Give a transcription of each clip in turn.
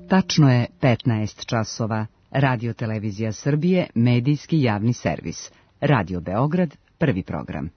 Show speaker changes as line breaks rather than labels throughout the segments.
Tačno je 15 časova. Radio Televizija Srbije, medijski javni servis. Radio Beograd, prvi program.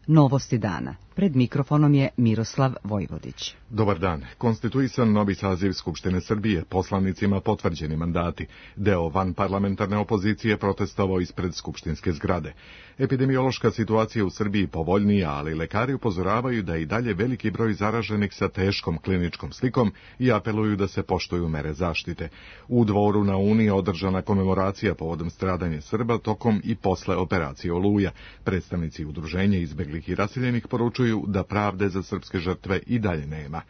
Novosti dana. Pred mikrofonom je Miroslav Vojvodić.
Dobar dan. Konstituisan novi saziv Skupštine Srbije, poslanicima potvrđeni mandati. Deo vanparlamentarne opozicije protestovao ispred skupštinske zgrade. Epidemiološka situacija u Srbiji povoljnija, ali lekari upozoravaju da je i dalje veliki broj zaraženih sa teškom kliničkom slikom i apeluju da se poštuju mere zaštite. U Dvoru na Uni je održana komemoracija povodom stradanja Srba tokom i posle operacije Oluja. Predstavnici udruženja izbeglih i raseljenih poručuju da pravde za srpske žrtve i dalje nema.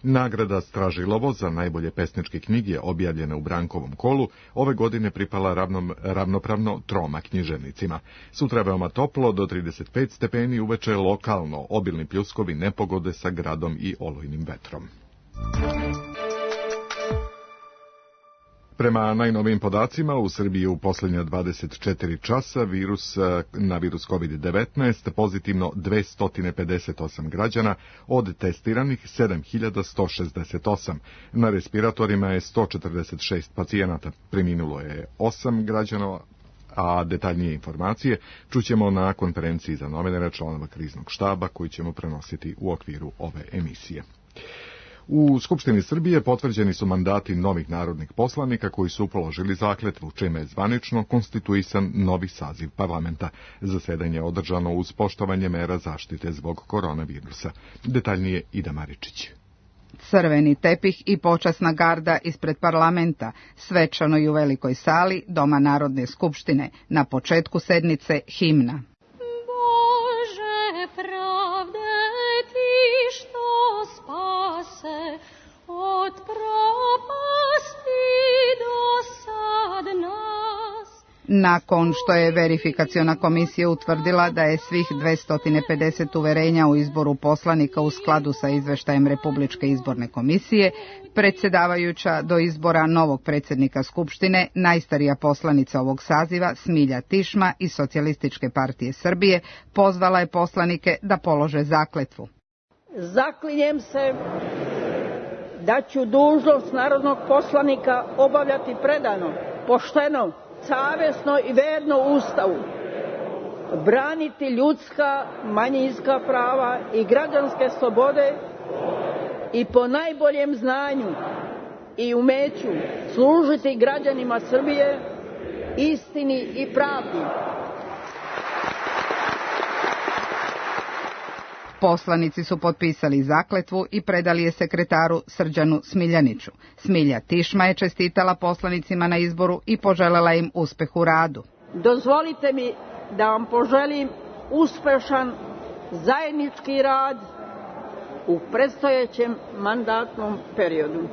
Nagrada Stražilovo za najbolje pesničke knjige objavljene u Brankovom kolu ove godine pripala ravnopravno troma književnicima. Sutra je veoma toplo, do 35 stepeni, uveče lokalno obilni pljuskovi, nepogode sa gradom i olujnim vetrom. Prema najnovijim podacima, u Srbiji u posljednja 24 časa na virus COVID-19 pozitivno 258 građana, od testiranih 7168. Na respiratorima je 146 pacijenata. Preminulo je 8 građana, a detaljnije informacije čućemo na konferenciji za novinare članova kriznog štaba koji ćemo prenositi u okviru ove emisije. U Skupštini Srbije potvrđeni su mandati novih narodnih poslanika koji su položili zakletvu, čime je zvanično konstituisan novi saziv parlamenta. Zasedanje je održano uz poštovanje mera zaštite zbog koronavirusa. Detaljnije Ida Maričić.
Crveni tepih i počasna garda ispred parlamenta, svečano i u velikoj sali Doma Narodne skupštine. Na početku sednice himna. Nakon što je verifikaciona komisija utvrdila da je svih 250 uverenja u izboru poslanika u skladu sa izveštajem Republičke izborne komisije, predsjedavajuća do izbora novog predsjednika Skupštine, najstarija poslanica ovog saziva, Smilja Tišma iz Socijalističke partije Srbije, pozvala je poslanike da polože zakletvu.
Zaklinjem se da ću dužnost narodnog poslanika obavljati predano, pošteno, savjesno i verno Ustavu, braniti ljudska, manjinska prava i građanske slobode i po najboljem znanju i umeću služiti građanima Srbije, istini i pravdi.
Poslanici su potpisali zakletvu i predali je sekretaru Srđanu Smiljaniću. Smilja Tišma je čestitala poslanicima na izboru i poželjela im uspeh u radu.
Dozvolite mi da vam poželim uspešan zajednički rad u predstojećem mandatnom periodu.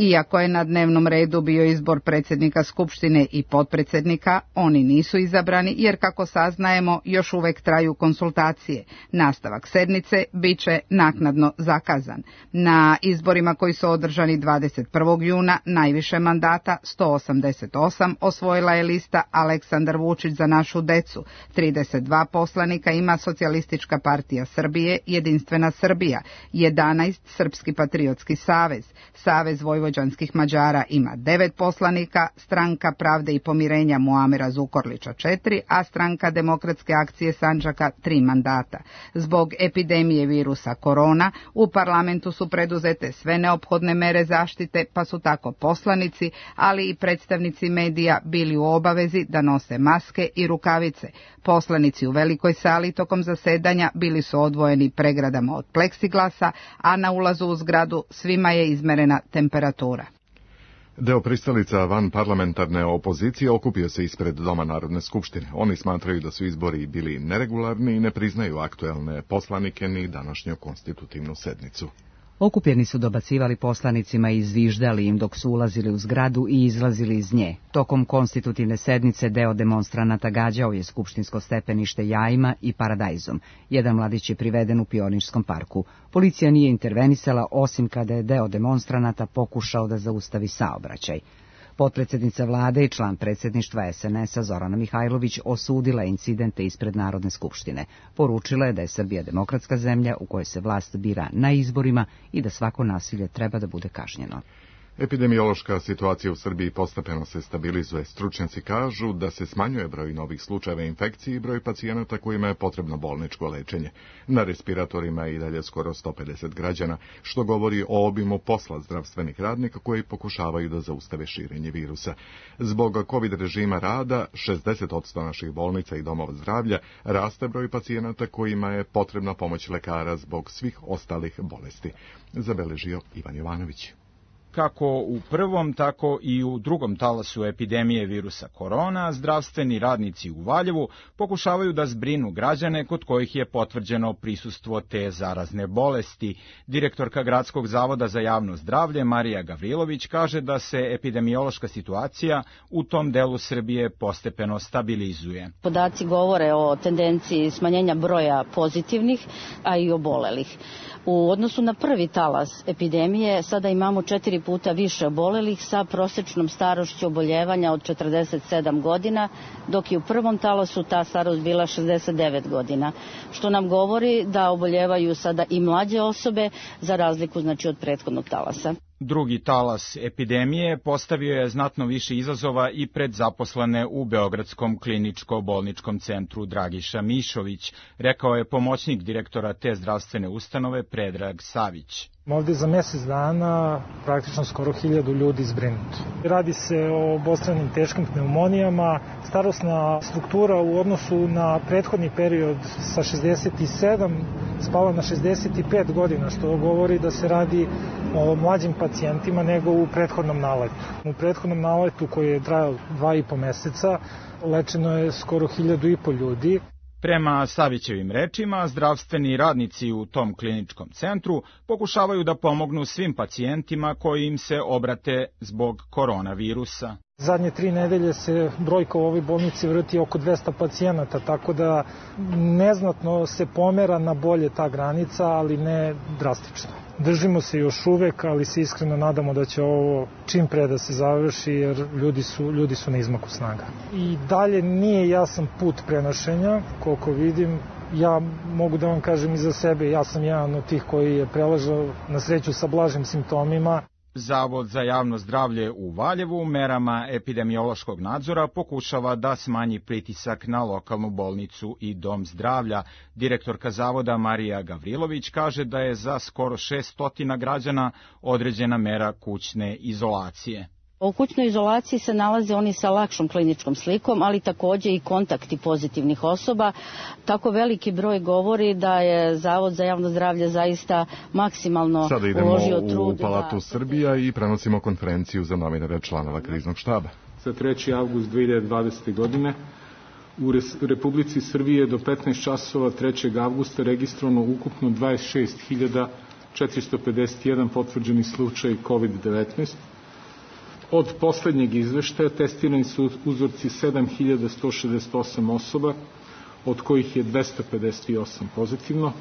Iako je na dnevnom redu bio izbor predsjednika Skupštine i potpredsjednika, oni nisu izabrani jer, kako saznajemo, još uvek traju konsultacije. Nastavak sednice bit će naknadno zakazan. Na izborima koji su održani 21. juna najviše mandata, 188, osvojila je lista Aleksandar Vučić za našu decu. 32 poslanika ima Socijalistička partija Srbije, Jedinstvena Srbija, 11 Srpski patriotski savez, Savez vojvođanskih Mađara ima 9 poslanika, Stranka pravde i pomirenja Muamera Zukorlića 4, a Stranka demokratske akcije Sandžaka 3 mandata. Zbog epidemije virusa korona u parlamentu su preduzete sve neophodne mere zaštite, pa su tako poslanici, ali i predstavnici medija bili u obavezi da nose maske i rukavice. Poslanici u velikoj sali tokom zasedanja bili su odvojeni pregradama od pleksiglasa, a na ulazu u zgradu svima je izmerena temperatura.
Deo pristalica vanparlamentarne opozicije okupio se ispred Doma Narodne skupštine. Oni smatraju da su izbori bili neregularni i ne priznaju aktuelne poslanike ni današnju konstitutivnu sednicu.
Okupljeni su dobacivali poslanicima i zviždali im dok su ulazili u zgradu i izlazili iz nje. Tokom konstitutivne sednice deo demonstranata gađao je skupštinsko stepenište jajima i paradajzom. Jedan mladić je priveden u Pionirskom parku. Policija nije intervenisala, osim kada je deo demonstranata pokušao da zaustavi saobraćaj. Potpredsjednica vlade i član predsjedništva SNS-a Zorana Mihajlović osudila incidente ispred Narodne skupštine. Poručila je da je Srbija demokratska zemlja u kojoj se vlast bira na izborima i da svako nasilje treba da bude kažnjeno.
Epidemiološka situacija u Srbiji postepeno se stabilizuje. Stručnjaci kažu da se smanjuje broj novih slučajeva infekcije i broj pacijenata kojima je potrebno bolničko lečenje. Na respiratorima je i dalje skoro 150 građana, što govori o obimu posla zdravstvenih radnika koji pokušavaju da zaustave širenje virusa. Zbog COVID režima rada, 60% naših bolnica i domova zdravlja raste broj pacijenata kojima je potrebna pomoć lekara zbog svih ostalih bolesti. Zabeležio Ivan Jovanović.
Kako u prvom, tako i u drugom talasu epidemije virusa korona, zdravstveni radnici u Valjevu pokušavaju da zbrinu građane kod kojih je potvrđeno prisustvo te zarazne bolesti. Direktorka Gradskog zavoda za javno zdravlje Marija Gavrilović kaže da se epidemiološka situacija u tom delu Srbije postepeno stabilizuje.
Podaci govore o tendenciji smanjenja broja pozitivnih, a i obolelih. U odnosu na prvi talas epidemije sada imamo 4 puta više obolelih sa prosečnom starošću oboljevanja od 47 godina, dok je u prvom talasu ta starost bila 69 godina, što nam govori da oboljevaju sada i mlađe osobe za razliku od prethodnog talasa.
Drugi talas epidemije postavio je znatno više izazova i pred zaposlene u Beogradskom kliničko-bolničkom centru Dragiša Mišović, rekao je pomoćnik direktora te zdravstvene ustanove Predrag Savić.
Ovde za mesec dana praktično skoro 1000 ljudi zbrinuto. Radi se o obostranim teškim pneumonijama. Starosna struktura u odnosu na prethodni period sa 67 spala na 65 godina, što govori da se radi o mlađim pacijentima nego u prethodnom naletu. U prethodnom naletu koji je trajao 2,5 meseca lečeno je skoro 1500 ljudi.
Prema Savićevim rečima, zdravstveni radnici u tom kliničkom centru pokušavaju da pomognu svim pacijentima koji im se obrate zbog koronavirusa.
Zadnje 3 nedelje se brojka u ovoj bolnici vrti oko 200 pacijenata, tako da neznatno se pomera na bolje ta granica, ali ne drastično. Držimo se još uvek, ali se iskreno nadamo da će ovo čim pre da se završi, jer ljudi su na izmaku snaga. I dalje nije jasan put prenošenja, koliko vidim. Ja mogu da vam kažem i za sebe, ja sam jedan od tih koji je preležao na sreću sa blažim simptomima.
Zavod za javno zdravlje u Valjevu merama epidemiološkog nadzora pokušava da smanji pritisak na lokalnu bolnicu i dom zdravlja. Direktorka zavoda Marija Gavrilović kaže da je za skoro 600 građana određena mera kućne izolacije.
U kućnoj izolaciji se nalaze oni sa lakšom kliničkom slikom, ali takođe i kontakti pozitivnih osoba. Tako veliki broj govori da je Zavod za javno zdravlje zaista maksimalno uložio trud.
Sada idemo u Palatu Srbija i prenosimo konferenciju za novinare članova kriznog štaba.
Za 3. avgust 2020. godine u Republici Srbije do 15 časova 3. avgusta registrovano ukupno 26.451 potvrđeni slučaj COVID-19. Od poslednjeg izveštaja testirani su uzorci 7.168 osoba, od kojih je 258 pozitivno.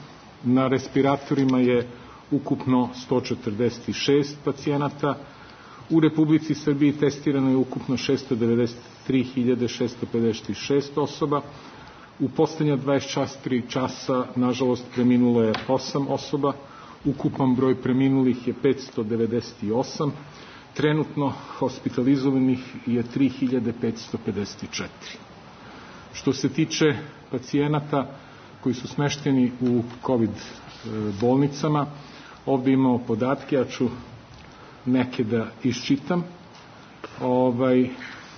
Na respiratorima je ukupno 146 pacijenata. U Republici Srbiji testirano je ukupno 693.656 osoba. U poslednja 24 časa, nažalost, preminulo je 8 osoba. Ukupan broj preminulih je 598. Trenutno hospitalizovanih je 3.554. Što se tiče pacijenata koji su smešteni u COVID bolnicama, ovde imamo podatke, ja ću neke da iščitam.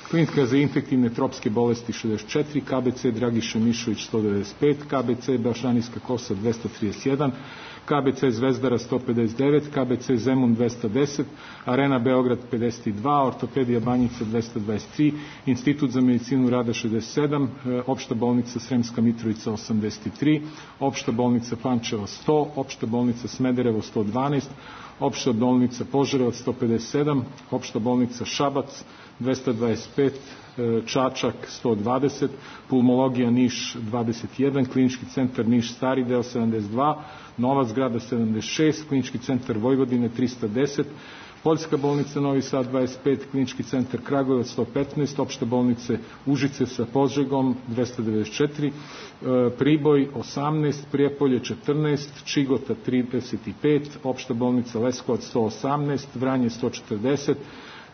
Klinika za infektivne tropske bolesti 64, KBC Dragiša Mišović 195, KBC Baščanska Kosa 231, KBC Zvezdara 159, KBC Zemun 210, Arena Beograd 52, Ortopedija Banjica 223, Institut za medicinu rada 67, Opšta bolnica Sremska Mitrovica 83, Opšta bolnica Pančevo 100, Opšta bolnica Smederevo 112, Opšta bolnica Požarevac 157, Opšta bolnica Šabac 225, Čačak 120, Pulmologija Niš 21, Klinički centar Niš Stari deo 72, Nova zgrada 76, Klinički centar Vojvodine 310, Poljska bolnica Novi Sad 25, Klinički centar Kragujevac 115, opšte bolnice Užice sa Požegom 294, Priboj 18, Prijepolje 14, Čigota 35, opšta bolnica Leskovac 118, Vranje 140,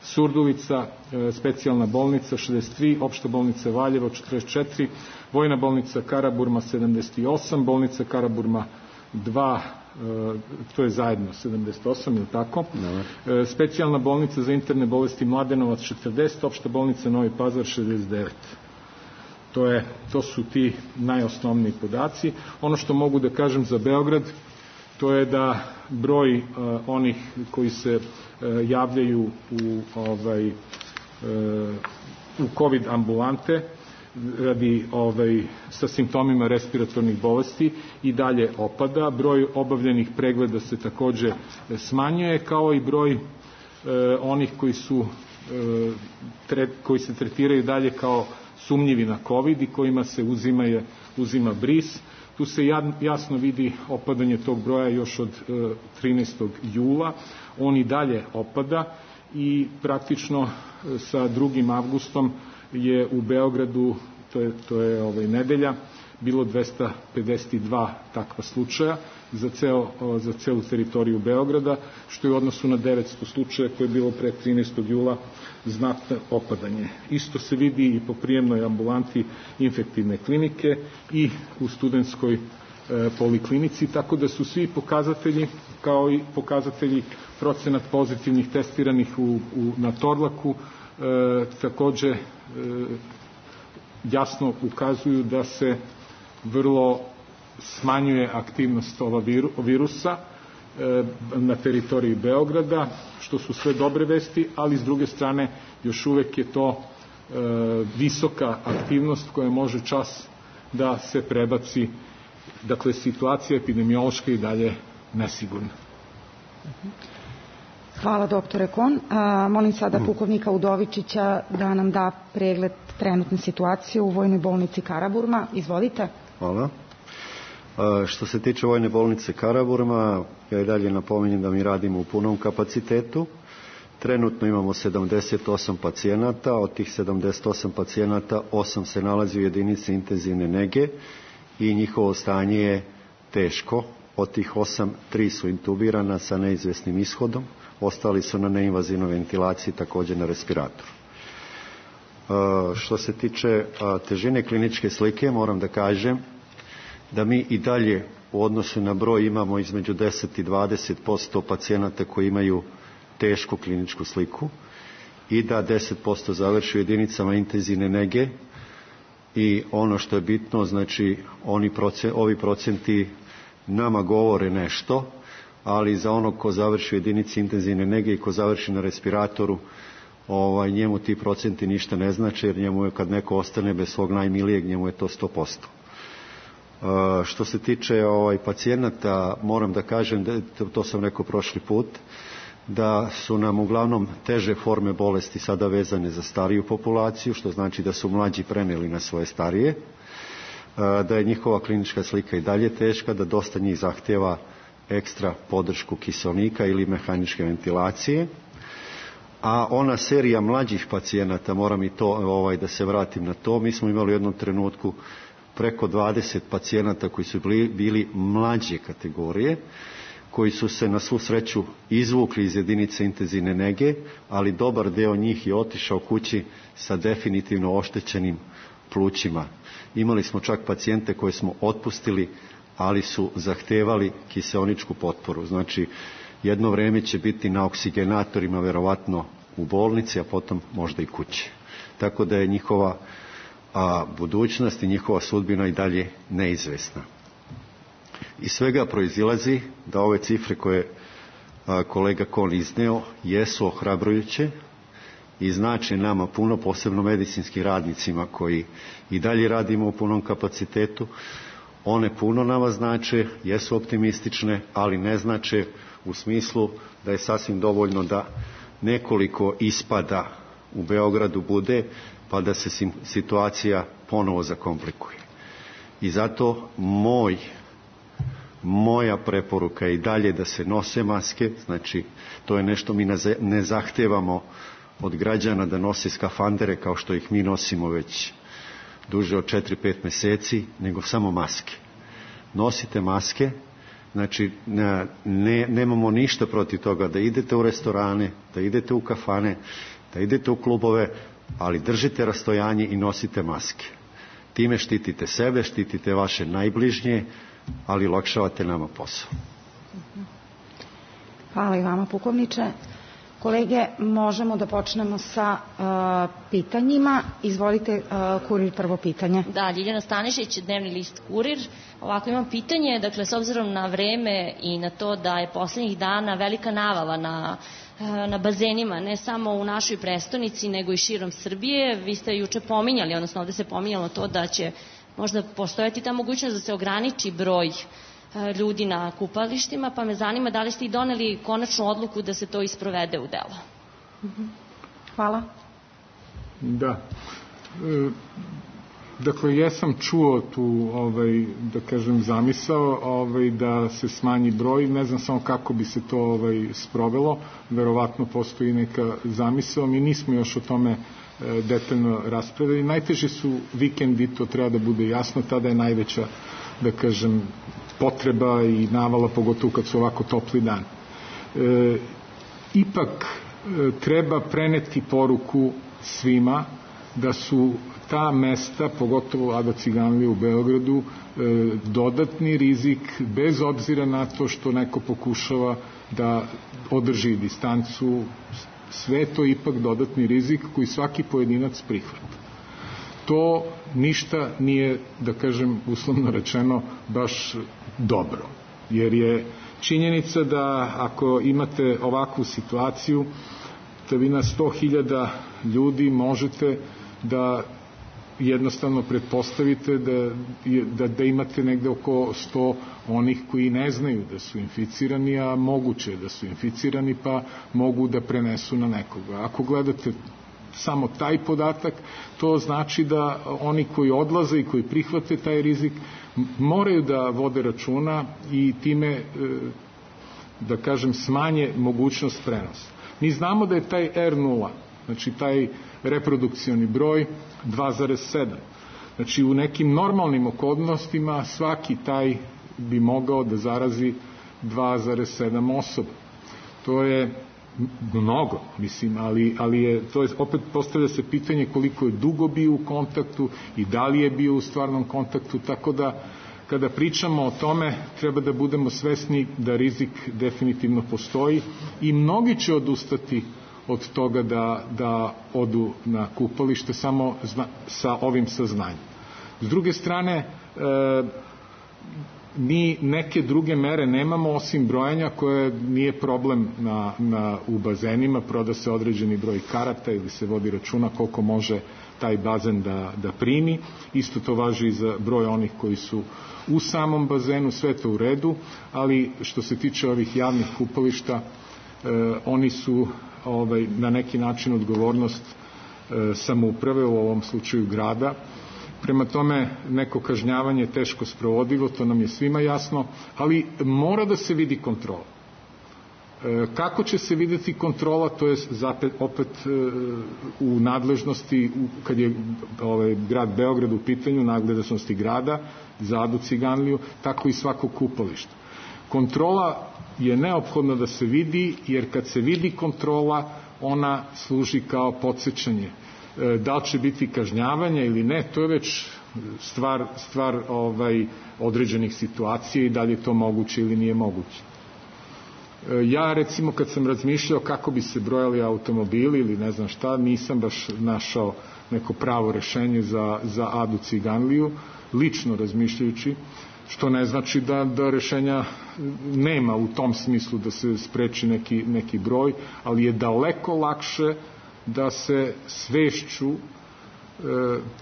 Surdulica, specijalna bolnica 63, opšta bolnica Valjevo 44, Vojna bolnica Karaburma 78, bolnica Karaburma 2, to je zajedno 78, ili tako? Specijalna bolnica za interne bolesti Mladenovac 40, opšta bolnica Novi Pazar 69. To su ti najosnovniji podaci. Ono što mogu da kažem za Beograd, to je da broj onih koji se javljaju u COVID ambulante radi sa simptomima respiratornih bolesti i dalje opada. Broj obavljenih pregleda se takođe smanjuje, kao i broj onih koji se tretiraju dalje kao sumnjivi na COVID i kojima se uzima bris. Tu se jasno vidi opadanje tog broja još od 13. jula. On i dalje opada i praktično sa 2. avgustom je u Beogradu, to je nedelja, bilo 252 takva slučaja za celu teritoriju Beograda, što je u odnosu na 900 slučaja koje je bilo pre 13. jula znatno opadanje. Isto se vidi i po prijemnoj ambulanti infektivne klinike i u studentskoj poliklinici, tako da su svi pokazatelji, kao i pokazatelji procenat pozitivnih testiranih na Torlaku, takođe jasno ukazuju da se vrlo smanjuje aktivnost virusa na teritoriji Beograda, što su sve dobre vesti, ali s druge strane još uvek je to visoka aktivnost koja može čas da se prebaci. Dakle, situacija epidemiološka i dalje nesigurna.
Hvala, doktore Kon. Molim sada pukovnika Udovičića da nam da pregled trenutne situacije u Vojnoj bolnici Karaburma. Izvolite.
Hvala. Što se tiče Vojne bolnice Karaburma, ja i dalje napominjem da mi radimo u punom kapacitetu. Trenutno imamo 78 pacijenata, od tih 78 pacijenata 8 se nalazi u jedinici intenzivne nege i njihovo stanje je teško. Od tih 8, 3 su intubirana sa neizvesnim ishodom, ostali su na neinvazivnoj ventilaciji, također na respiratoru. Što se tiče težine kliničke slike, moram da kažem da mi i dalje u odnosu na broj imamo između 10 i 20% pacijenata koji imaju tešku kliničku sliku i da 10% završi u jedinicama intenzivne nege i ono što je bitno, znači ovi procenti nama govore nešto, ali za onog ko završi u jedinici intenzivne nege i ko završi na respiratoru, njemu ti procenti ništa ne znače, jer njemu je, kad neko ostane bez svog najmilijeg, njemu je to 100%. Što se tiče pacijenata, moram da kažem, to sam rekao prošli put, da su nam uglavnom teže forme bolesti sada vezane za stariju populaciju, što znači da su mlađi preneli na svoje starije, da je njihova klinička slika i dalje teška, da dosta njih zahtjeva ekstra podršku kiseonika ili mehaničke ventilacije. A ona serija mlađih pacijenata, moram i to da se vratim na to, mi smo imali u jednom trenutku preko 20 pacijenata koji su bili mlađe kategorije, koji su se na svu sreću izvukli iz jedinice intenzivne nege, ali dobar deo njih je otišao kući sa definitivno oštećenim plućima. Imali smo čak pacijente koje smo otpustili, ali su zahtevali kiseoničku potporu. Znači, jedno vreme će biti na oksigenatorima, verovatno u bolnici, a potom možda i kući. Tako da je njihova budućnost i njihova sudbina i dalje neizvesna. Iz svega proizilazi da ove cifre koje kolega Kon izneo jesu ohrabrujuće i znači nama puno, posebno medicinskim radnicima koji i dalje radimo u punom kapacitetu. One puno nama znače, jesu optimistične, ali ne znače u smislu da je sasvim dovoljno da nekoliko ispada u Beogradu bude, pa da se situacija ponovo zakomplikuje. I zato moj Moja preporuka je i dalje da se nose maske, znači to je nešto mi ne zahtevamo od građana da nose skafandere kao što ih mi nosimo već duže od 4-5 meseci, nego samo maske. Nosite maske, znači nemamo ništa protiv toga da idete u restorane, da idete u kafane, da idete u klubove, ali držite rastojanje i nosite maske. Time štitite sebe, štitite vaše najbližnje, ali olakšavate nama posao.
Hvala i vama, pukovniče. Kolege, možemo da počnemo sa pitanjima. Izvolite, Kurir, prvo pitanje.
Da, Ljiljana Stanišić, Dnevni list Kurir. Ovako imam pitanje, dakle, s obzirom na vreme i na to da je poslednjih dana velika navala na bazenima, ne samo u našoj prestonici, nego i širom Srbije. Vi ste juče pominjali, odnosno ovde se pominjalo to da će možda postojati ta mogućnost da se ograniči broj ljudi na kupalištima, pa me zanima da li ste i doneli konačnu odluku da se to isprovede u delo.
Hvala.
Da. Dakle, ja sam čuo tu, da kažem, zamisao da se smanji broj, ne znam samo kako bi se to sprovelo, verovatno postoji neka zamisao, mi nismo još o tome detaljno raspravili. Najteži su vikendi, to treba da bude jasno, tada je najveća, da kažem, potreba i navala, pogotovo kad su ovako topli dan. Ipak treba preneti poruku svima da su ta mesta, pogotovo Ado Ciganlija u Beogradu, dodatni rizik, bez obzira na to što neko pokušava da održi distancu, sve to ipak dodatni rizik koji svaki pojedinac prihvata. To ništa nije, da kažem, uslovno rečeno, baš dobro. Jer je činjenica da ako imate ovakvu situaciju, da vi na 100.000 ljudi možete da jednostavno pretpostavite da imate negde oko 100 onih koji ne znaju da su inficirani, a moguće je da su inficirani pa mogu da prenesu na nekoga. Ako gledate samo taj podatak, to znači da oni koji odlaze i koji prihvate taj rizik moraju da vode računa i time, da kažem, smanje mogućnost prenosa. Mi znamo da je taj R0, znači taj reprodukcioni broj, 2,7. Znači u nekim normalnim okolnostima svaki taj bi mogao da zarazi 2,7 osoba. To je mnogo, mislim, ali je, to je, opet postavlja se pitanje koliko je dugo bio u kontaktu i da li je bio u stvarnom kontaktu, tako da kada pričamo o tome treba da budemo svesni da rizik definitivno postoji i mnogi će odustati od toga da odu na kupalište samo sa ovim saznanjem. S druge strane, mi neke druge mere nemamo osim brojanja koje nije problem u bazenima, proda se određeni broj karata ili se vodi računa koliko može taj bazen da primi. Isto to važi i za broj onih koji su u samom bazenu, sve to u redu, ali što se tiče ovih javnih kupališta, oni su na neki način odgovornost samouprave, u ovom slučaju grada. Prema tome, neko kažnjavanje je teško sprovodivo, to nam je svima jasno, ali mora da se vidi kontrola. Kako će se videti kontrola, to je opet u nadležnosti, kad je grad Beograd u pitanju, nadležnosti grada za Adu Ciganliju, tako i svako kupalište. Kontrola je neophodno da se vidi, jer kad se vidi kontrola, ona služi kao podsećanje. Da li će biti kažnjavanja ili ne, to je već stvar određenih situacija i da li je to moguće ili nije moguće. Ja, recimo, kad sam razmišljao kako bi se brojali automobili ili ne znam šta, nisam baš našao neko pravo rešenje za Adu Ciganliju, lično razmišljajući, što ne znači da rešenja nema u tom smislu da se spreči neki broj, ali je daleko lakše da se svešću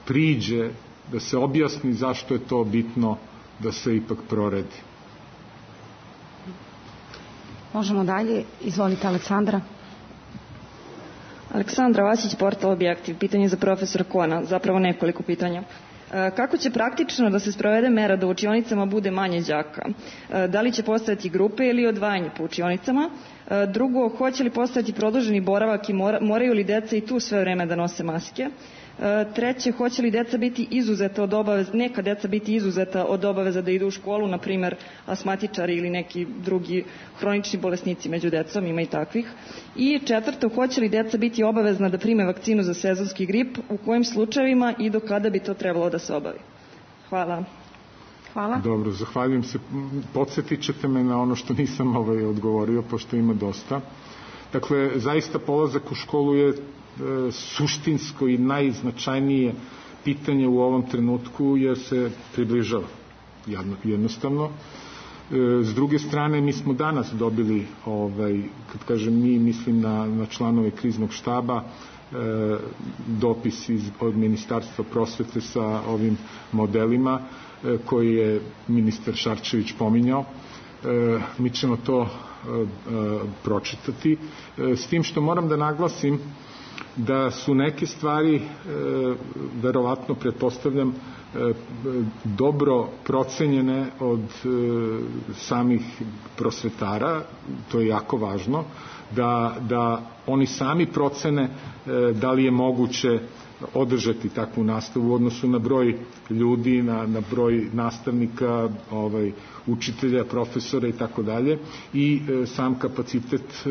priđe, da se objasni zašto je to bitno da se ipak proredi.
Možemo dalje. Izvolite, Aleksandra.
Aleksandra Vasić, portal Objektiv. Pitanje za profesora Kona, zapravo nekoliko pitanja. Kako će praktično da se sprovede mera da u učionicama bude manje đaka? Da li će postojati grupe ili odvajanje po učionicama? Drugo, hoće li postojati produženi boravak i moraju li deca i tu sve vreme da nose maske? Treće, hoće li deca biti izuzeta od obaveza, neka deca biti izuzeta od obaveza da idu u školu, na primer asmatičari ili neki drugi hronični bolesnici među decom, ima i takvih. I četvrto, hoće li deca biti obavezna da prime vakcinu za sezonski grip, u kojim slučajevima i do kada bi to trebalo da se obavi? Hvala.
Hvala.
Dobro, zahvaljujem se. Podsjetit ćete me na ono što nisam odgovorio, pošto ima dosta. Dakle, zaista polazak u školu je suštinsko i najznačajnije pitanje u ovom trenutku, jer se približava jednostavno. S druge strane, mi smo danas dobili, kad kažem mi, mislim na članove kriznog štaba, dopis od Ministarstva prosvete sa ovim modelima koji je ministar Šarčević pominjao. Mi ćemo to pročitati, s tim što moram da naglasim da su neke stvari, verovatno pretpostavljam, dobro procenjene od samih prosvetara, to je jako važno, da oni sami procene da li je moguće održati takvu nastavu u odnosu na broj ljudi, na broj nastavnika, učitelja, profesora i tako dalje, i sam kapacitet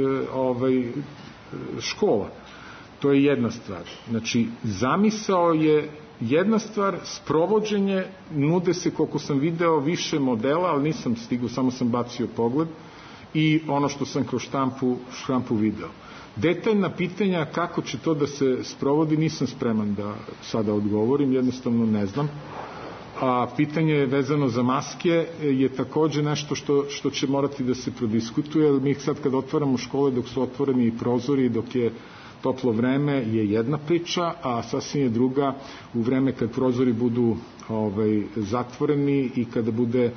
škola. To je jedna stvar. Znači, zamisao je jedna stvar, sprovođenje, nude se, koliko sam video, više modela, ali nisam stigao, samo sam bacio pogled, i ono što sam kroz štampu video. Detaljna pitanja kako će to da se sprovodi nisam spreman da sada odgovorim, jednostavno ne znam. A pitanje vezano za maske je takođe nešto što će morati da se prodiskutuje, jer mi sad kad otvaramo škole, dok su otvoreni i prozori, dok je toplo vreme, je jedna priča, a sasvim je druga u vreme kad prozori budu zatvoreni i kada bude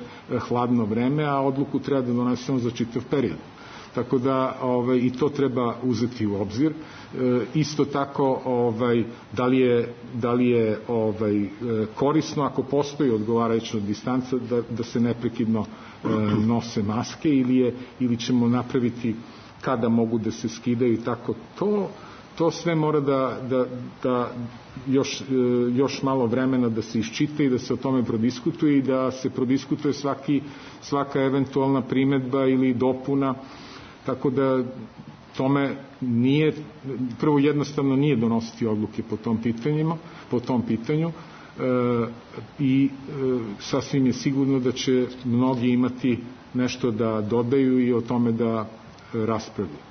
hladno vreme, a odluku treba da donesemo za čitav period. Tako da i to treba uzeti u obzir. Isto tako, da li je korisno, ako postoji odgovarajuća distanca, da se neprekidno nose maske, ili ćemo napraviti kada mogu da se skidaju i tako. To sve mora da još malo vremena da se iščita i da se o tome prodiskutuje i da se prodiskutuje svaka eventualna primedba ili dopuna, tako da tome nije, prvo jednostavno nije donositi odluke po tom pitanju i sasvim je sigurno da će mnogi imati nešto da dodaju i o tome da raspravljaju.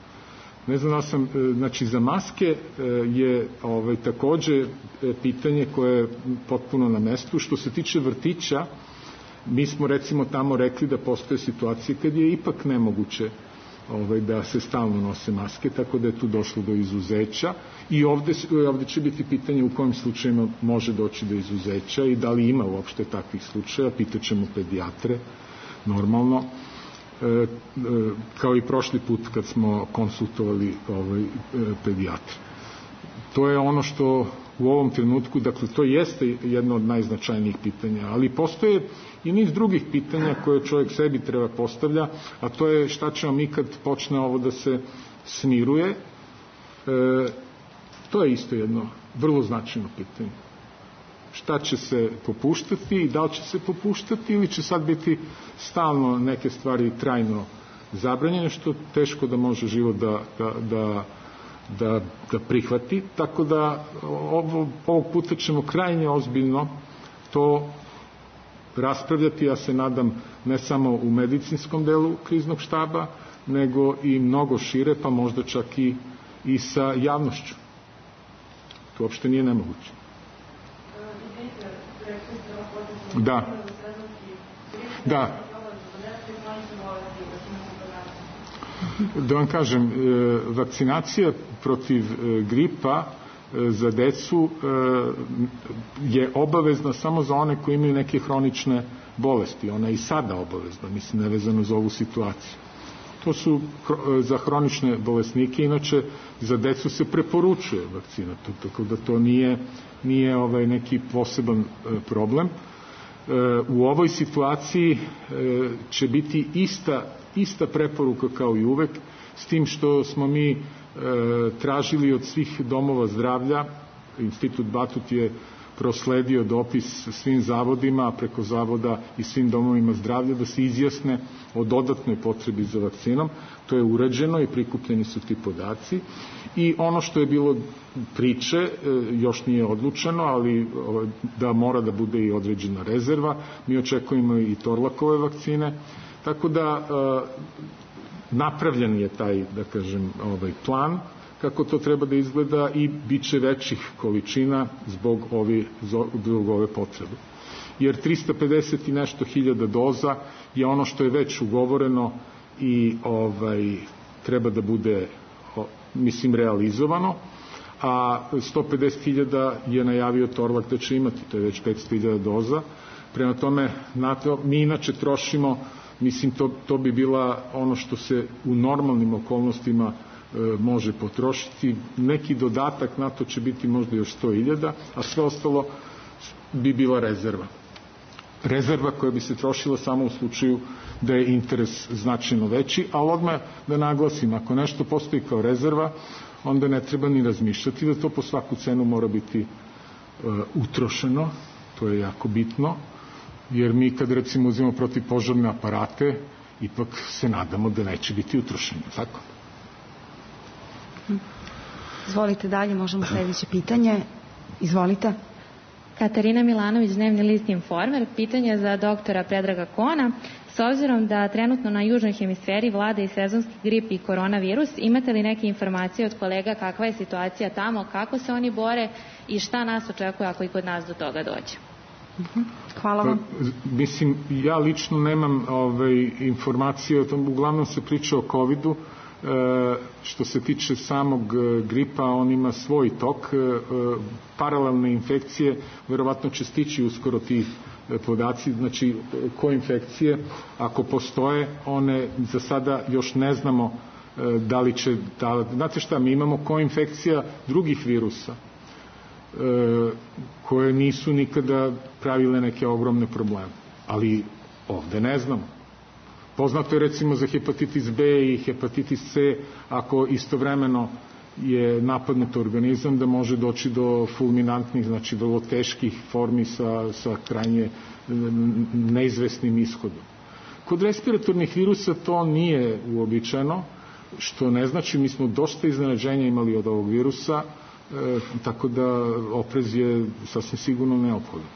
Ne znam da sam, znači za maske je takođe pitanje koje je potpuno na mestu. Što se tiče vrtića, mi smo recimo tamo rekli da postoje situacije kad je ipak nemoguće da se stalno nose maske, tako da je tu došlo do izuzeća i ovde će biti pitanje u kojim slučajima može doći do izuzeća i da li ima uopšte takvih slučaja, pitaćemo pedijatre normalno, kao i prošli put kad smo konsultovali pedijatre. To je ono što u ovom trenutku, dakle to jeste jedno od najznačajnijih pitanja, ali postoje i niz drugih pitanja koje čovjek sebi treba postavlja, a to je šta ćemo mi kad počne ovo da se smiruje. To je isto jedno vrlo značajno pitanje. Šta će se popuštati i da li će se popuštati ili će sad biti stalno neke stvari trajno zabranjene, što teško da može život da prihvati. Tako da ovog puta ćemo krajnje ozbiljno to raspravljati, ja se nadam, ne samo u medicinskom delu kriznog štaba, nego i mnogo šire, pa možda čak i sa javnošću. To uopšte nije nemoguće. Da. Da vam kažem, vakcinacija protiv gripa za decu je obavezna samo za one koji imaju neke hronične bolesti. Ona je i sada obavezna, mislim, nevezano za ovu situaciju. To su za hronične bolesnike, inače za decu se preporučuje vakcina, tako da to nije neki poseban problem. U ovoj situaciji će biti ista preporuka kao i uvek, s tim što smo mi tražili od svih domova zdravlja, Institut Batut je prosledio dopis svim zavodima, a preko zavoda i svim domovima zdravlja da se izjasne o dodatnoj potrebi za vakcinom. To je urađeno i prikupljeni su ti podaci. I ono što je bilo priče, još nije odlučeno, ali da mora da bude i određena rezerva. Mi očekujemo i Torlakove vakcine. Tako da napravljen je taj, da kažem, plan kako to treba da izgleda i bit će većih količina zbog ove potrebe. Jer 350 i nešto hiljada doza je ono što je već ugovoreno i treba da bude, mislim, realizovano, a 150.000 je najavio Torlak da će imati, to je već 500.000 doza. Prema tome, mi inače trošimo, mislim, to bi bila ono što se u normalnim okolnostima može potrošiti. Neki dodatak na to će biti možda još 100.000, a sve ostalo bi bila rezerva. Rezerva koja bi se trošila samo u slučaju da je interes značajno veći, ali odmah da naglasim, ako nešto postoji kao rezerva, onda ne treba ni razmišljati da to po svaku cenu mora biti utrošeno, to je jako bitno, jer mi kad recimo uzimamo protivpožarne aparate, ipak se nadamo da neće biti utrošeno, tako?
Izvolite dalje, možemo sljedeće pitanje. Izvolite.
Katarina Milanović, Dnevni list Informer. Pitanje za doktora Predraga Kona. S obzirom da trenutno na južnoj hemisferi vlada i sezonski grip i koronavirus, imate li neke informacije od kolega kakva je situacija tamo, kako se oni bore i šta nas očekuje ako i kod nas do toga dođe?
Hvala vam.
Mislim, ja lično nemam informacije o tom, uglavnom se priča o COVID-u. Što se tiče samog gripa, on ima svoj tok, paralelne infekcije, verovatno će stići uskoro ti podaci, znači koinfekcije, ako postoje, one za sada još ne znamo da li će, znate šta, mi imamo koinfekcija drugih virusa koje nisu nikada pravile neke ogromne probleme, ali ovde ne znamo. Poznato je recimo za hepatitis B i hepatitis C, ako istovremeno je napadnut organizam, da može doći do fulminantnih, znači vrlo teških formi sa krajnje neizvesnim ishodom. Kod respiratornih virusa to nije uobičajeno, što ne znači, mi smo dosta iznenađenja imali od ovog virusa, tako da oprez je sasvim sigurno neophodan.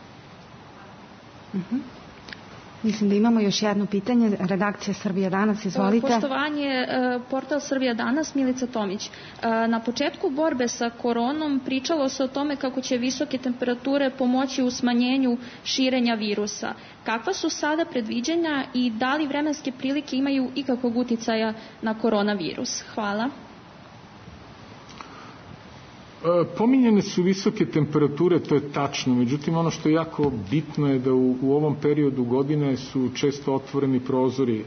Mislim da imamo još jedno pitanje. Redakcija Srbija danas, izvolite.
Poštovanje, portal Srbija danas, Milica Tomić. Na početku borbe sa koronom pričalo se o tome kako će visoke temperature pomoći u smanjenju širenja virusa. Kakva su sada predviđanja i da li vremenske prilike imaju ikakvog uticaja na koronavirus? Hvala.
Pominjene su visoke temperature, to je tačno, međutim ono što je jako bitno je da u ovom periodu godine su često otvoreni prozori.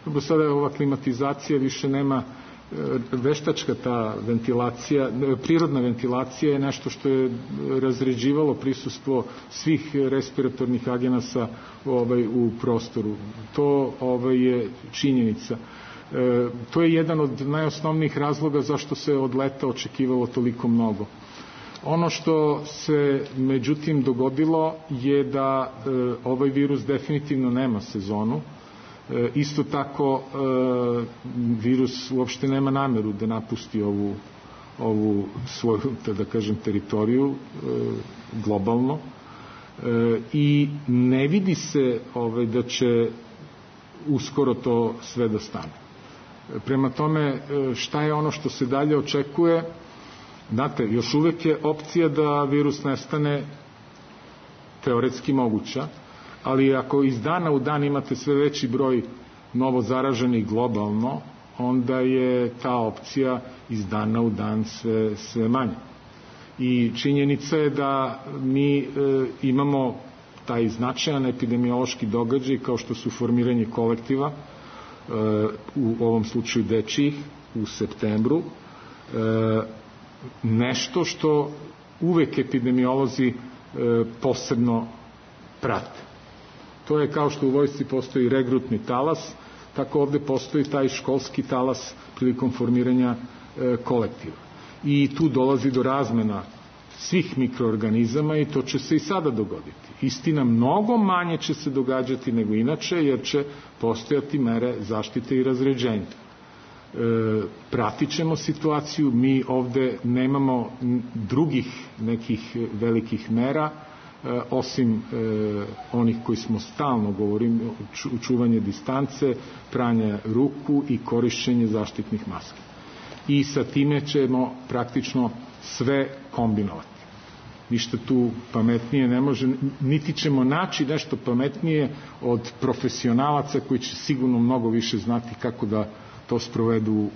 Do sada je ova klimatizacija, više nema veštačka ta ventilacija, prirodna ventilacija je nešto što je razređivalo prisustvo svih respiratornih agenasa u prostoru. To je činjenica. To je jedan od najosnovnijih razloga zašto se od leta očekivalo toliko mnogo. Ono što se međutim dogodilo je da ovaj virus definitivno nema sezonu. Isto tako virus uopšte nema nameru da napusti ovu svoju, da kažem, teritoriju globalno i ne vidi se da će uskoro to sve da stane. Prema tome, šta je ono što se dalje očekuje? Znate, još uvek je opcija da virus nestane teoretski moguća, ali ako iz dana u dan imate sve veći broj novo zaraženih globalno, onda je ta opcija iz dana u dan sve manja. I činjenica je da mi imamo taj značajan epidemiološki događaj kao što su formiranje kolektiva, u ovom slučaju dečijih, u septembru, nešto što uvek epidemiolozi posebno prate. To je kao što u vojsci postoji regrutni talas, tako ovde postoji taj školski talas prilikom formiranja kolektiva. I tu dolazi do razmena svih mikroorganizama i to će se i sada dogoditi. Istina, mnogo manje će se događati nego inače, jer će postojati mere zaštite i razređenja. Pratit ćemo situaciju, mi ovde nemamo drugih nekih velikih mera, osim onih koji smo stalno govorimo, čuvanje distance, pranje ruku i korišćenje zaštitnih maski. I sa time ćemo praktično sve kombinovati. Ništa tu pametnije ne može, niti ćemo naći nešto pametnije od profesionalaca koji će sigurno mnogo više znati kako da to sprovedu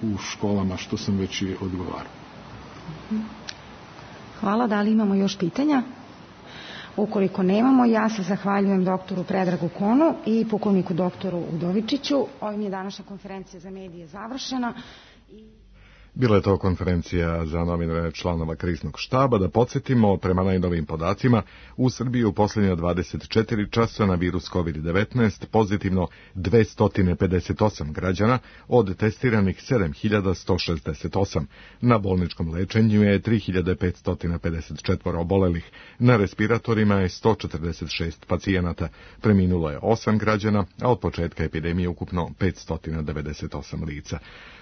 u školama, što sam već i odgovarao.
Hvala. Da li imamo još pitanja? Ukoliko nemamo, ja se zahvaljujem doktoru Predragu Konu i pukovniku doktoru Udovičiću. Ovim je današnja konferencija za medije završena.
Bila je to konferencija za novinare članova kriznog štaba. Da podsjetimo, prema najnovijim podacima, u Srbiji u posljednja 24 časa na virus COVID-19 pozitivno 258 građana, od testiranih 7168. Na bolničkom lečenju je 3554 obolelih, na respiratorima je 146 pacijenata, preminulo je 8 građana, a od početka epidemije ukupno 598 lica.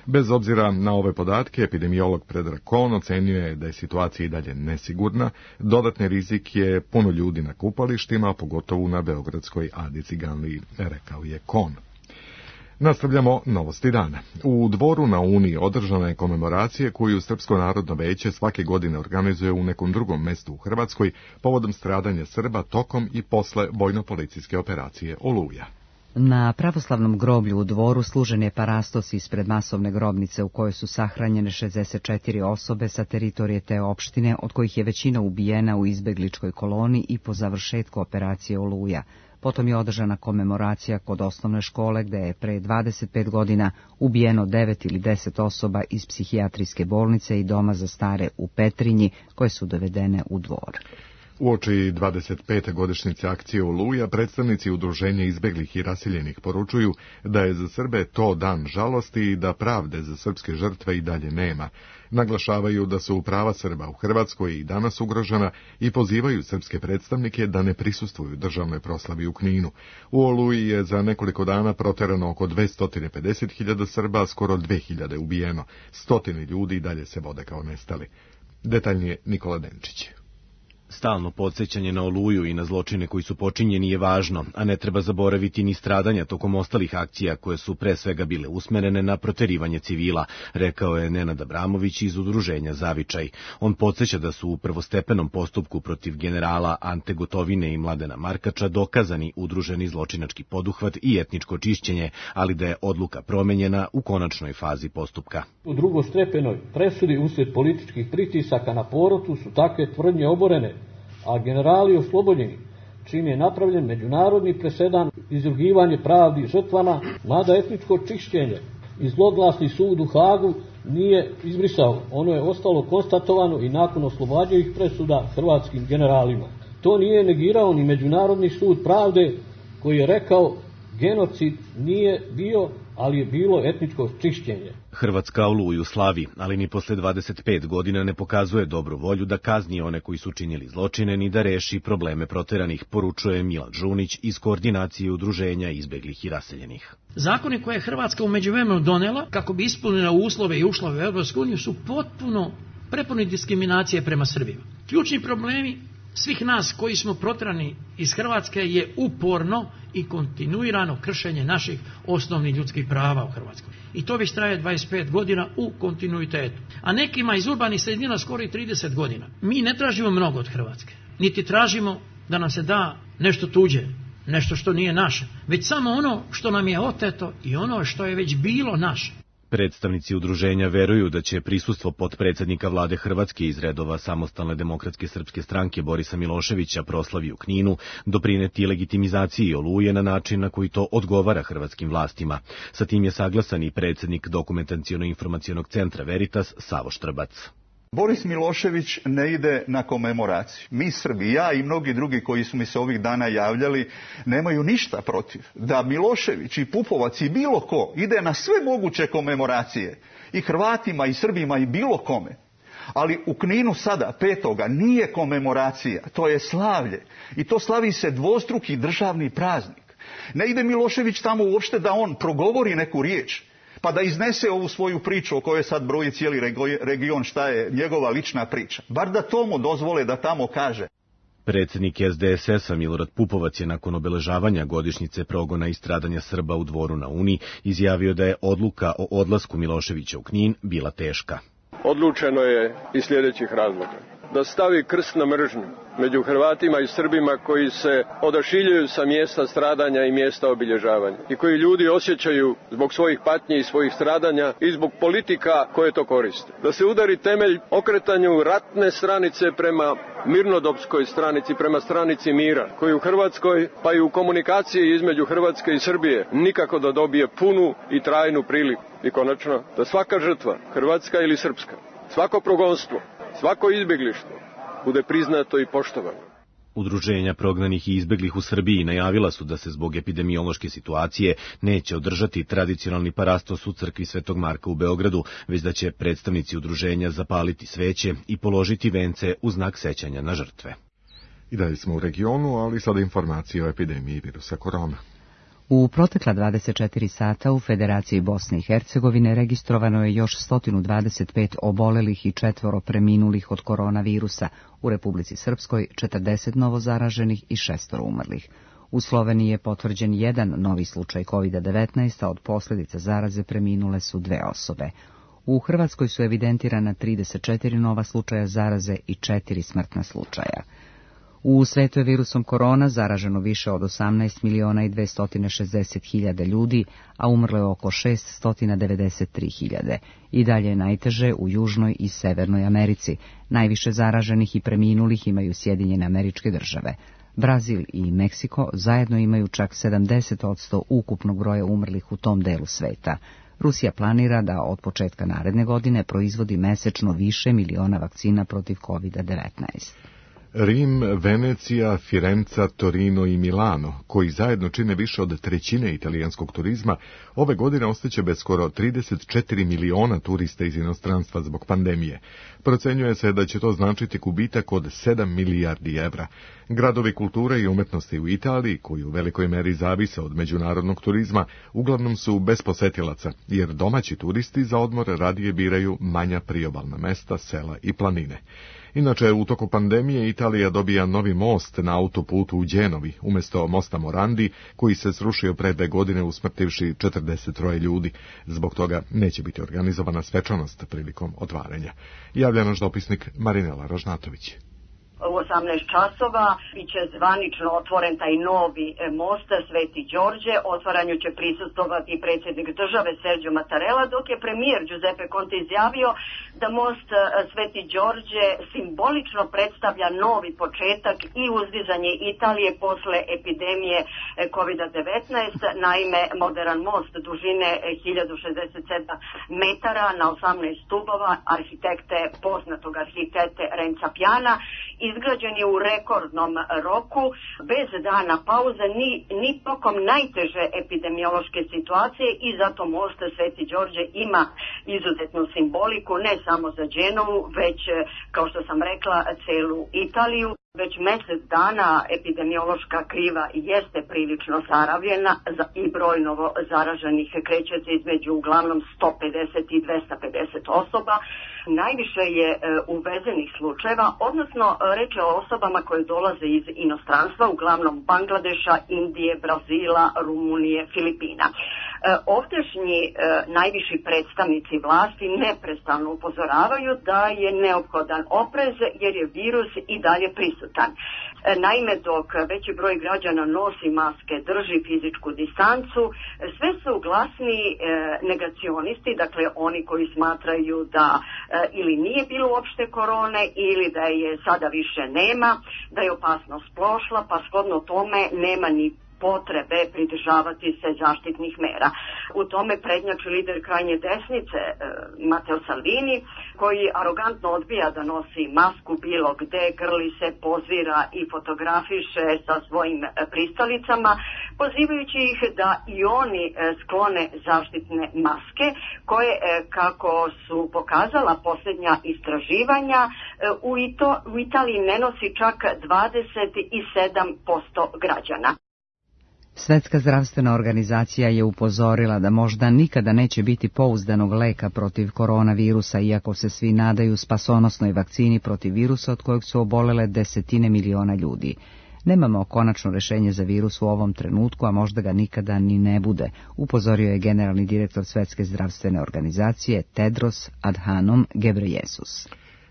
Bez obzira na ove podatke, epidemiolog Predrag Kon ocenjuje da je situacija i dalje nesigurna. Dodatni rizik je puno ljudi na kupalištima, pogotovo na beogradskoj Adi Ciganliji, rekao je Kon. Nastavljamo novosti dana. U Dvoru na Uni održana je komemoracija koju Srpsko narodno veće svake godine organizuje u nekom drugom mestu u Hrvatskoj povodom stradanja Srba tokom i posle vojno-policijske operacije Oluja.
Na pravoslavnom groblju u Dvoru služen je parastos ispred masovne grobnice u kojoj su sahranjene 64 osobe sa teritorije te opštine, od kojih je većina ubijena u izbegličkoj koloni i po završetku operacije Oluja. Potom je održana komemoracija kod osnovne škole gde je pre 25 godina ubijeno 9 ili 10 osoba iz psihijatrijske bolnice i doma za stare u Petrinji koje su dovedene u Dvor.
Uoči 25. godišnjice akcije Oluja, predstavnici udruženja izbeglih i raseljenih poručuju da je za Srbe to dan žalosti i da pravde za srpske žrtve i dalje nema. Naglašavaju da su prava Srba u Hrvatskoj i danas ugrožena i pozivaju srpske predstavnike da ne prisustvuju državnoj proslavi u Kninu. U Oluji je za nekoliko dana proterano oko 250.000 Srba, skoro 2.000 ubijeno. Stotine ljudi i dalje se vode kao nestali. Detaljnije Nikola Denčić.
Stalno podsjećanje na Oluju i na zločine koji su počinjeni je važno, a ne treba zaboraviti ni stradanja tokom ostalih akcija koje su pre svega bile usmerene na proterivanje civila, rekao je Nenad Abramović iz udruženja Zavičaj. On podsjeća da su u prvostepenom postupku protiv generala Ante Gotovine i Mladena Markača dokazani udruženi zločinački poduhvat i etničko čišćenje, ali da je odluka promenjena u konačnoj fazi postupka.
U drugostepenoj presudi uslijed političkih pritisaka na porotu su takve tvrdnje oborene, a generali oslobođeni, čim je napravljen međunarodni presedan, izrugivanje pravdi žrtvama, mada etničko čišćenje i zloglasni sud u Hagu nije izbrisao. Ono je ostalo konstatovano i nakon oslobađajućih presuda hrvatskim generalima. To nije negirao ni Međunarodni sud pravde koji je rekao genocid nije bio, ali je bilo etničko čišćenje.
Hrvatska Oluju slavi, ali ni posle 25 godina ne pokazuje dobru volju da kazni one koji su činili zločine ni da reši probleme proteranih, poručuje Milan Žunić iz koordinacije udruženja izbeglih i raseljenih.
Zakoni koje je Hrvatska u međuvremenu donela kako bi ispunila uslove i ušla u Europsku uniju su potpuno prepuni diskriminacije prema Srbima. Ključni problemi svih nas koji smo proterani iz Hrvatske je uporno i kontinuirano kršenje naših osnovnih ljudskih prava u Hrvatskoj. I to već traje 25 godina u kontinuitetu. A nekima iz urbanih sredina skoro i 30 godina. Mi ne tražimo mnogo od Hrvatske. Niti tražimo da nam se da nešto tuđe, nešto što nije naše. Već samo ono što nam je oteto i ono što je već bilo naše.
Predstavnici udruženja veruju da će prisustvo potpredsednika vlade Hrvatske iz redova Samostalne demokratske srpske stranke Borisa Miloševića proslavi u Kninu doprineti legitimizaciji Oluje na način na koji to odgovara hrvatskim vlastima. Sa tim je saglasan i predsednik Dokumentaciono-informacionog centra Veritas Savo Štrbac.
Boris Milošević ne ide na komemoraciju. Mi Srbi, ja i mnogi drugi koji su mi se ovih dana javljali, nemaju ništa protiv da Milošević i Pupovac i bilo ko ide na sve moguće komemoracije. I Hrvatima i Srbima i bilo kome. Ali u Kninu sada, 5. nije komemoracija, to je slavlje. I to slavi se dvostruki državni praznik. Ne ide Milošević tamo uopšte da on progovori neku riječ, pa da iznese ovu svoju priču o kojoj sad broji cijeli region šta je njegova lična priča. Bar da to mu dozvole da tamo kaže.
Predsednik SDSS-a Milorad Pupovac je nakon obeležavanja godišnjice progona i stradanja Srba u Dvoru na Uni izjavio da je odluka o odlasku Miloševića u Knin bila teška.
Odlučeno je iz sljedećih razloga. Da stavi krst na mržnju među Hrvatima i Srbima koji se odašiljuju sa mjesta stradanja i mjesta obilježavanja i koji ljudi osjećaju zbog svojih patnji i svojih stradanja i zbog politika koje to koriste. Da se udari temelj okretanju ratne stranice prema mirnodopskoj stranici, prema stranici mira, koji u Hrvatskoj pa i u komunikaciji između Hrvatske i Srbije nikako da dobije punu i trajnu priliku. I konačno, da svaka žrtva, hrvatska ili srpska, svako progonstvo, svako izbjeglištvo bude priznato i poštovano.
Udruženja prognanih i izbeglih u Srbiji najavila su da se zbog epidemiološke situacije neće održati tradicionalni parastos u crkvi Svetog Marka u Beogradu, već da će predstavnici udruženja zapaliti sveće i položiti vence u znak sećanja na žrtve.
I dalje smo u regionu, ali sada informacije o epidemiji virusa korona.
U protekla 24 sata u Federaciji Bosne i Hercegovine registrovano je još 125 obolelih i 4 preminulih od koronavirusa, u Republici Srpskoj 40 novozaraženih i 6 umrlih. U Sloveniji je potvrđen jedan novi slučaj COVID-19, a od posljedica zaraze preminule su 2 osobe. U Hrvatskoj su evidentirana 34 nova slučaja zaraze i 4 smrtna slučaja. U svetu je virusom korona zaraženo više od 18.260.000 ljudi, a umrlo je oko 693.000. I dalje je najteže u Južnoj i Severnoj Americi. Najviše zaraženih i preminulih imaju Sjedinjene Američke Države. Brazil i Meksiko zajedno imaju čak 70% ukupnog broja umrlih u tom delu sveta. Rusija planira da od početka naredne godine proizvodi mesečno više miliona vakcina protiv COVID-19.
Rim, Venecija, Firenca, Torino i Milano, koji zajedno čine više od trećine italijanskog turizma, ove godine ostaće bez skoro 34 miliona turista iz inostranstva zbog pandemije. Procenjuje se da će to značiti gubitak od 7 milijardi evra. Gradovi kulture i umetnosti u Italiji, koji u velikoj meri zavise od međunarodnog turizma, uglavnom su bez posetilaca, jer domaći turisti za odmor radije biraju manja priobalna mesta, sela i planine. Inače, u toku pandemije Italija dobija novi most na autoputu u Đenovi, umjesto mosta Morandi, koji se srušio pre 2 godine usmrtivši 43 ljudi. Zbog toga neće biti organizovana svečanost prilikom otvaranja. Javlja naš dopisnik Marinela Ražnatović.
U 18 časova biće zvanično otvoren taj novi most Sveti Đorđe. Otvaranju će prisustvovati predsjednik države Sergio Mattarella, dok je premijer Giuseppe Conte izjavio da most Sveti Đorđe simbolično predstavlja novi početak i uzdizanje Italije posle epidemije COVID-19. Naime, modern most dužine 1067 metara na 18 stubova poznatog arhitekte Renza Piana izgrađen je u rekordnom roku, bez dana pauze, ni tokom najteže epidemiološke situacije, i zato most Sveti Đorđe ima izuzetnu simboliku, ne samo za Đenovu, već, kao što sam rekla, celu Italiju. Već mjesec dana epidemiološka kriva jeste prilično zaravljena i broj novo zaraženih kreće se između uglavnom 150 i 250 osoba. Najviše je uvezenih slučajeva, odnosno reč je o osobama koje dolaze iz inostranstva, uglavnom Bangladeša, Indije, Brazila, Rumunije, Filipina. Ovdašnji najviši predstavnici vlasti neprestano upozoravaju da je neophodan oprez jer je virus i dalje prisutan. Naime, dok veći broj građana nosi maske, drži fizičku distancu, sve su glasni negacionisti, dakle oni koji smatraju da ili nije bilo uopšte korone ili da je sada više nema, da je opasnost prošla, pa shodno tome nema ni potrebe pridržavati se zaštitnih mera. U tome prednjači lider krajnje desnice Matteo Salvini, koji arogantno odbija da nosi masku bilo gde, grli se, pozira i fotografiše sa svojim pristalicama, pozivajući ih da i oni sklone zaštitne maske, koje, kako su pokazala posljednja istraživanja, u Italiji ne nosi čak 27% građana.
Svetska zdravstvena organizacija je upozorila da možda nikada neće biti pouzdanog leka protiv koronavirusa, iako se svi nadaju spasonosnoj vakcini protiv virusa od kojeg su obolele desetine miliona ljudi. Nemamo konačno rešenje za virus u ovom trenutku, a možda ga nikada ni ne bude, upozorio je generalni direktor Svetske zdravstvene organizacije Tedros Adhanom Ghebreyesus.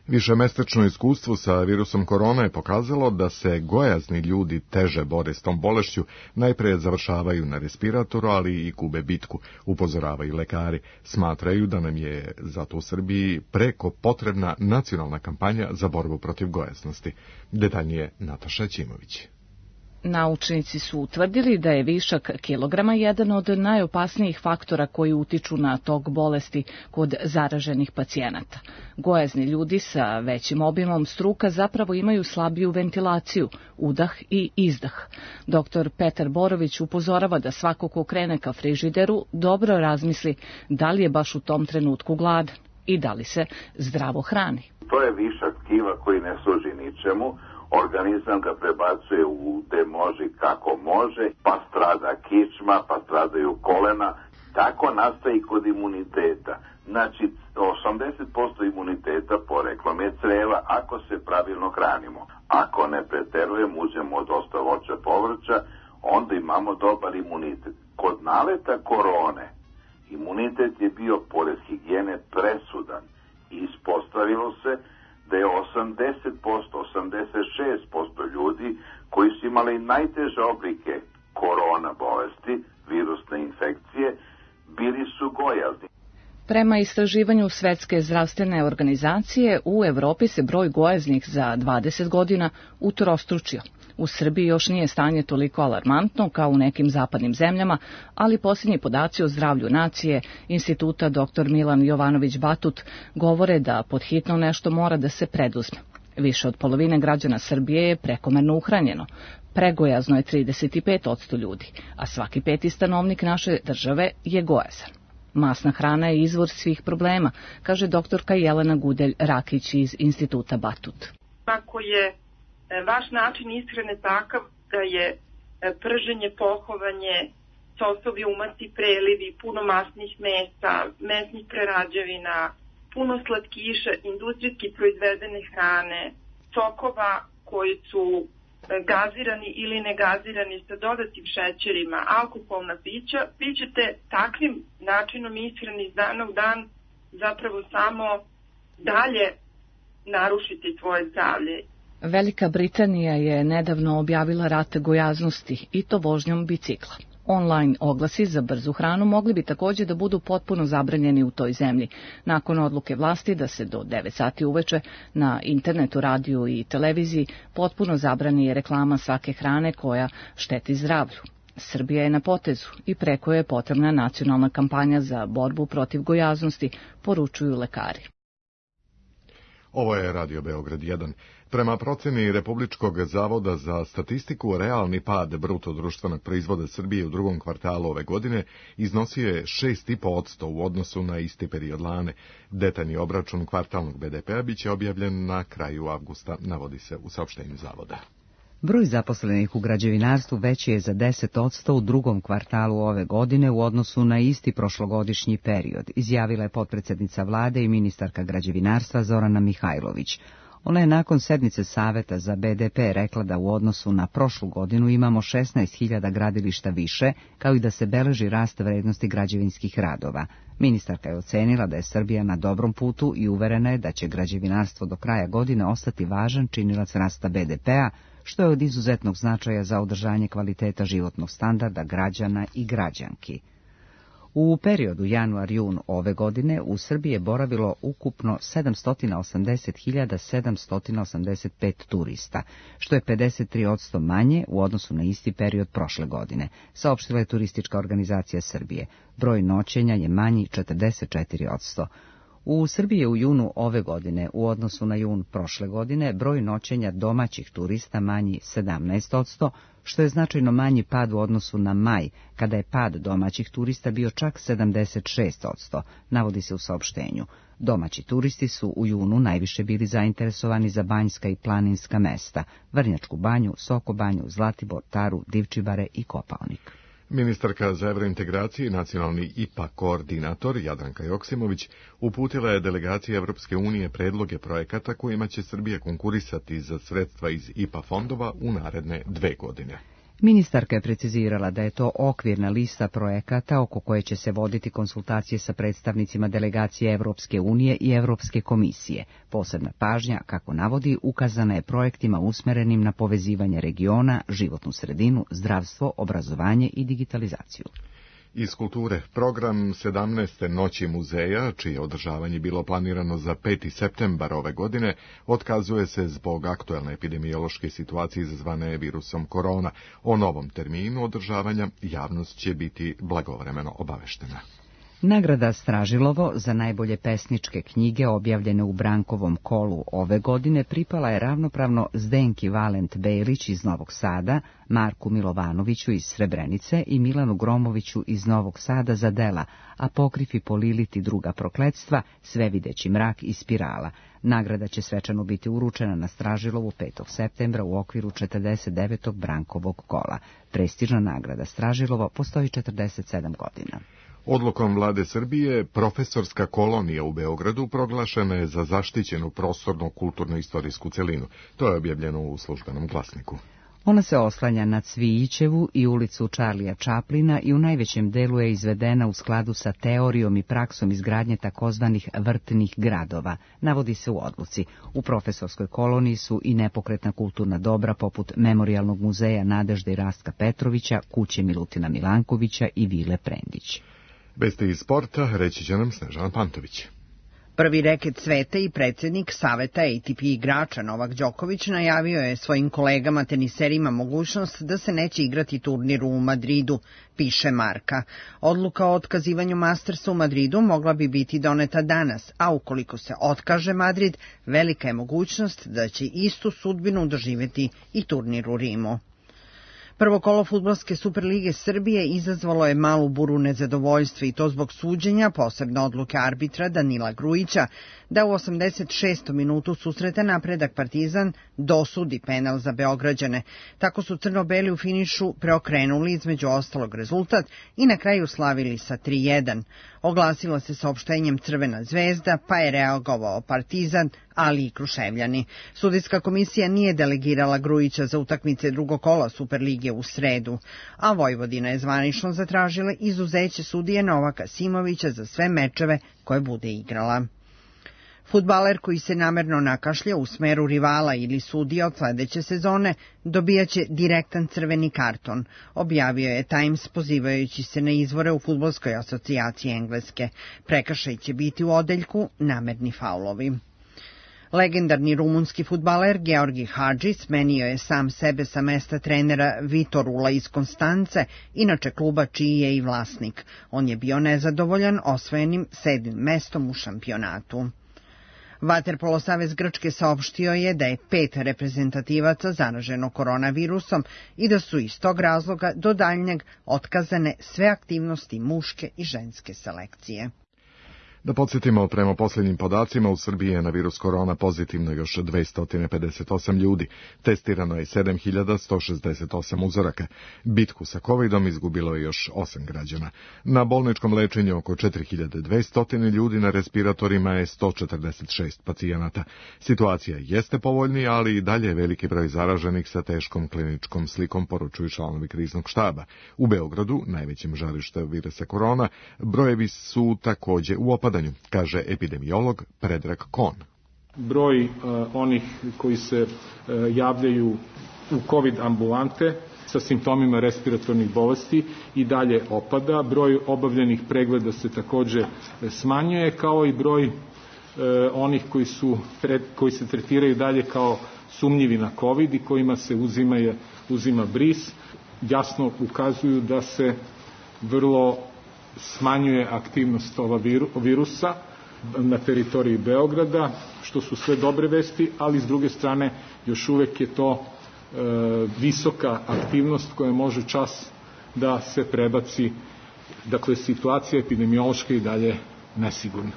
Višemesečno iskustvo sa virusom korona je pokazalo da se gojazni ljudi teže bore s tom bolešću, najprije završavaju na respiratoru, ali i gube bitku, upozoravaju lekari. Smatraju da nam je zato u Srbiji preko potrebna nacionalna kampanja za borbu protiv gojaznosti. Detaljnije Nataša Ćimović.
Naučnici su utvrdili da je višak kilograma jedan od najopasnijih faktora koji utiču na tok bolesti kod zaraženih pacijenata. Gojazni ljudi sa većim obimom struka zapravo imaju slabiju ventilaciju, udah i izdah. Dr. Petar Borović upozorava da svako ko krene ka frižideru dobro razmisli da li je baš u tom trenutku gladan i da li se zdravo hrani.
To je višak tkiva koji ne služi ničemu. Organizam ga prebacuje u gde može kako može, pa strada kičma, pa stradaju kolena. Tako nastaje i kod imuniteta. Znači, 80% imuniteta poreklom je creva ako se pravilno hranimo. Ako ne preterujemo, uzmemo dosta voća, povrća, onda imamo dobar imunitet. Kod naleta korone, imunitet je bio pored higijene presudan i ispostavilo se da je 86% ljudi koji su imali najteže oblike korona bolesti, virusne infekcije, bili su gojazni.
Prema istraživanju Svetske zdravstvene organizacije, u Evropi se broj gojaznih za 20 godina utrostručio. U Srbiji još nije stanje toliko alarmantno kao u nekim zapadnim zemljama, ali posljednji podaci o zdravlju nacije Instituta dr. Milan Jovanović Batut govore da pod hitno nešto mora da se preduzme. Više od polovine građana Srbije je prekomerno uhranjeno. Pregojazno je 35% ljudi, a svaki peti stanovnik naše države je gojazan. Masna hrana je izvor svih problema, kaže doktorka Jelena Gudelj-Rakić iz Instituta Batut.
Ako je vaš način ishrane takav da je prženje, pohovanje, sosovi, umasi, prelivi, puno masnih mesa, mesnih prerađevina, puno slatkiša, industrijski proizvedene hrane, sokova koji su gazirani ili negazirani sa dodatim šećerima, alkoholna pića, vi ćete takvim načinom ishrane iz dana u dan zapravo samo dalje narušiti svoje zdravlje.
Velika Britanija je nedavno objavila rat gojaznosti i to vožnjom bicikla. Online oglasi za brzu hranu mogli bi također da budu potpuno zabranjeni u toj zemlji, nakon odluke vlasti da se do 9 sati uveče na internetu, radiju i televiziji potpuno zabrani reklama svake hrane koja šteti zdravlju. Srbija je na potezu i preko je potrebna nacionalna kampanja za borbu protiv gojaznosti, poručuju lekari.
Ovo je Radio Beograd 1. Prema proceni Republičkog zavoda za statistiku, realni pad bruto društvenog proizvoda Srbije u drugom kvartalu ove godine iznosio je 6,5% u odnosu na isti period lane. Detaljni obračun kvartalnog BDP-a biće objavljen na kraju avgusta, navodi se u saopštenju zavoda.
Broj zaposlenih u građevinarstvu veći je za 10% u drugom kvartalu ove godine u odnosu na isti prošlogodišnji period, izjavila je potpredsjednica vlade i ministarka građevinarstva Zorana Mihajlović. Ona je nakon sednice Saveta za BDP rekla da u odnosu na prošlu godinu imamo 16.000 gradilišta više, kao i da se beleži rast vrednosti građevinskih radova. Ministarka je ocenila da je Srbija na dobrom putu i uverena je da će građevinarstvo do kraja godine ostati važan činilac rasta BDP-a, što je od izuzetnog značaja za održanje kvaliteta životnog standarda građana i građanki. U periodu januar-jun ove godine u Srbiji je boravilo ukupno 780.785 turista, što je 53% manje u odnosu na isti period prošle godine, saopštila je Turistička organizacija Srbije. Broj noćenja je manji 44%. U Srbiji je u junu ove godine, u odnosu na jun prošle godine, broj noćenja domaćih turista manji 17%, što je značajno manji pad u odnosu na maj, kada je pad domaćih turista bio čak 76%, navodi se u saopštenju. Domaći turisti su u junu najviše bili zainteresovani za banjska i planinska mesta, Vrnjačku banju, Sokobanju, Zlatibor, Taru, Divčibare i Kopaonik.
Ministarka za evrointegraciju i nacionalni IPA koordinator Jadranka Joksimović uputila je delegaciji Evropske unije predloge projekata kojima će Srbija konkurisati za sredstva iz IPA fondova u naredne 2 godine.
Ministarka je precizirala da je to okvirna lista projekata oko koje će se voditi konsultacije sa predstavnicima delegacije Evropske unije i Evropske komisije. Posebna pažnja, kako navodi, ukazana je projektima usmerenim na povezivanje regiona, životnu sredinu, zdravstvo, obrazovanje i digitalizaciju.
Iz kulture, program 17. noći muzeja, čije održavanje bilo planirano za 5. septembar ove godine, otkazuje se zbog aktuelne epidemiološke situacije izazvane virusom korona. O novom terminu održavanja javnost će biti blagovremeno obaveštena.
Nagrada Stražilovo za najbolje pesničke knjige objavljene u Brankovom kolu ove godine pripala je ravnopravno Zdenki Valent Belić iz Novog Sada, Marku Milovanoviću iz Srebrenice i Milanu Gromoviću iz Novog Sada za dela Apokrif i Polilit i druga prokletstva, Svevideći mrak i Spirala. Nagrada će svečano biti uručena na Stražilovu 5. septembra u okviru 49. Brankovog kola. Prestižna nagrada Stražilovo postoji 47 godina.
Odlukom vlade Srbije, profesorska kolonija u Beogradu proglašena je za zaštićenu prostorno kulturno-istorijsku celinu. To je objavljeno u Službenom glasniku.
Ona se oslanja na Cvijićevu i ulicu Charlija Chaplina i u najvećem delu je izvedena u skladu sa teorijom i praksom izgradnje takozvanih vrtnih gradova, navodi se u odluci. U profesorskoj koloniji su i nepokretna kulturna dobra poput Memorijalnog muzeja Nadežde i Rastka Petrovića, kuće Milutina Milankovića i Vile Prendić.
Vesti iz sporta reći će nam Snežana Pantović.
Prvi reket sveta i predsjednik Saveta ATP igrača Novak Đoković najavio je svojim kolegama teniserima mogućnost da se neće igrati turnir u Madridu, piše Marka. Odluka o otkazivanju Mastersa u Madridu mogla bi biti doneta danas, a ukoliko se otkaže Madrid, velika je mogućnost da će istu sudbinu doživjeti i turnir u Rimu. Prvo kolo Fudbalske Superlige Srbije izazvalo je malu buru nezadovoljstva i to zbog suđenja, posebno odluke arbitra Danila Grujića, da u 86. minutu susreta Napredak Partizan dosudi penal za Beograđane. Tako su crno-beli u finišu preokrenuli između ostalog rezultat i na kraju slavili sa 3:1. Oglasila se saopštenjem Crvena zvezda, pa je reagovao Partizan, ali i Kruševljani. Sudijska komisija nije delegirala Grujića za utakmice drugog kola Superlige u sredu, a Vojvodina je zvanično zatražila izuzeće sudije Novaka Simovića za sve mečeve koje bude igrala. Fudbaler koji se namerno nakašlja u smeru rivala ili sudija od sledeće sezone dobijaće direktan crveni karton, objavio je Times pozivajući se na izvore u Fudbalskoj asocijaciji Engleske. Prekršaj će biti u odeljku namerni faulovi. Legendarni rumunski fudbaler Georgi Hadži smenio je sam sebe sa mesta trenera Vitorula iz Konstance, inače kluba čiji je i vlasnik. On je bio nezadovoljan osvojenim 7. mestom u šampionatu. Vaterpolo savez Grčke saopštio je da je 5 reprezentativaca zaraženo koronavirusom i da su iz tog razloga do daljnjeg otkazane sve aktivnosti muške i ženske selekcije.
Da podsjetimo, prema posljednjim podacima u Srbiji je na virus korona pozitivno još 258 ljudi. Testirano je 7168 uzoraka. Bitku sa covidom izgubilo je još 8 građana. Na bolničkom lečenju oko 4200 ljudi, na respiratorima je 146 pacijenata. Situacija jeste povoljnija, ali i dalje je veliki broj zaraženih sa teškom kliničkom slikom, poručuju članovi kriznog štaba. U Beogradu, najvećem žarištu virusa korona, brojevi su također u opadanju, kaže epidemiolog Predrag Kon.
Broj onih koji se javljaju u COVID ambulante sa simptomima respiratornih bolesti i dalje opada. Broj obavljenih pregleda se također smanjuje, kao i broj onih koji se tretiraju dalje kao sumnjivi na COVID i kojima se uzima bris. Jasno ukazuju da se vrlo smanjuje aktivnost ova virusa na teritoriji Beograda, što su sve dobre vesti, ali s druge strane još uvek je to visoka aktivnost koja može čas da se prebaci. Dakle, situacija epidemiološka i dalje nesigurna.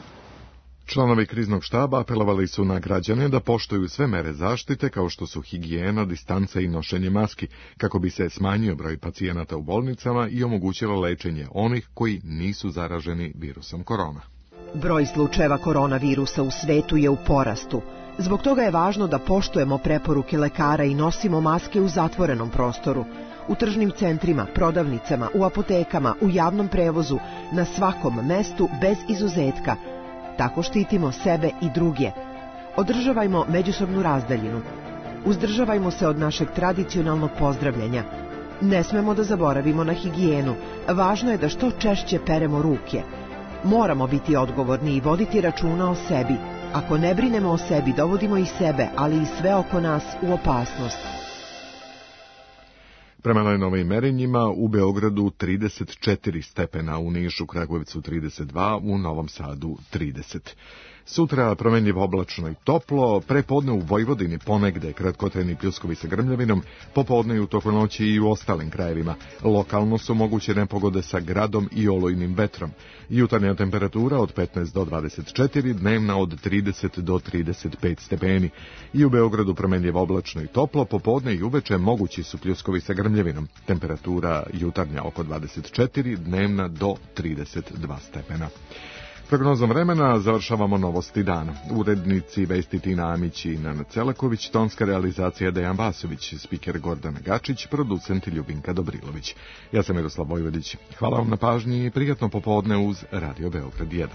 Članovi kriznog štaba apelovali su na građane da poštuju sve mere zaštite, kao što su higijena, distanca i nošenje maski, kako bi se smanjio broj pacijenata u bolnicama i omogućilo lečenje onih koji nisu zaraženi virusom korona.
Broj slučajeva koronavirusa u svetu je u porastu. Zbog toga je važno da poštujemo preporuke lekara i nosimo maske u zatvorenom prostoru, u tržnim centrima, prodavnicama, u apotekama, u javnom prevozu, na svakom mestu bez izuzetka. Tako štitimo sebe i druge. Održavajmo međusobnu razdaljinu. Uzdržavajmo se od našeg tradicionalnog pozdravljanja. Ne smemo da zaboravimo na higijenu. Važno je da što češće peremo ruke. Moramo biti odgovorni i voditi računa o sebi. Ako ne brinemo o sebi, dovodimo i sebe, ali i sve oko nas u opasnost.
Prema najnovijim merenjima u Beogradu 34 stepena, u Nišu, Kragujevcu 32, u Novom Sadu 30. Sutra promenljivo oblačno i toplo, prepodne u Vojvodini ponegde kratkotrajni pljuskovi sa grmljavinom, popodne i u toku noći i u ostalim krajevima. Lokalno su moguće nepogode sa gradom i olujnim vetrom. Jutarnja temperatura od 15 do 24, dnevna od 30 do 35 stepeni. I u Beogradu promenljivo oblačno i toplo, popodne i uveče mogući su pljuskovi sa grmljavinom. Temperatura jutarnja oko 24, dnevna do 32 stepena. Prognozom vremena završavamo novosti dana. Urednici Vesti Tina Amić i Nana Celaković, tonska realizacija Dejan Vasović, spiker Gordana Gačić, producent Ljubinka Dobrilović. Ja sam Miroslav Vojvodić. Hvala vam na pažnji i prijatno popodne uz Radio Beograd 1.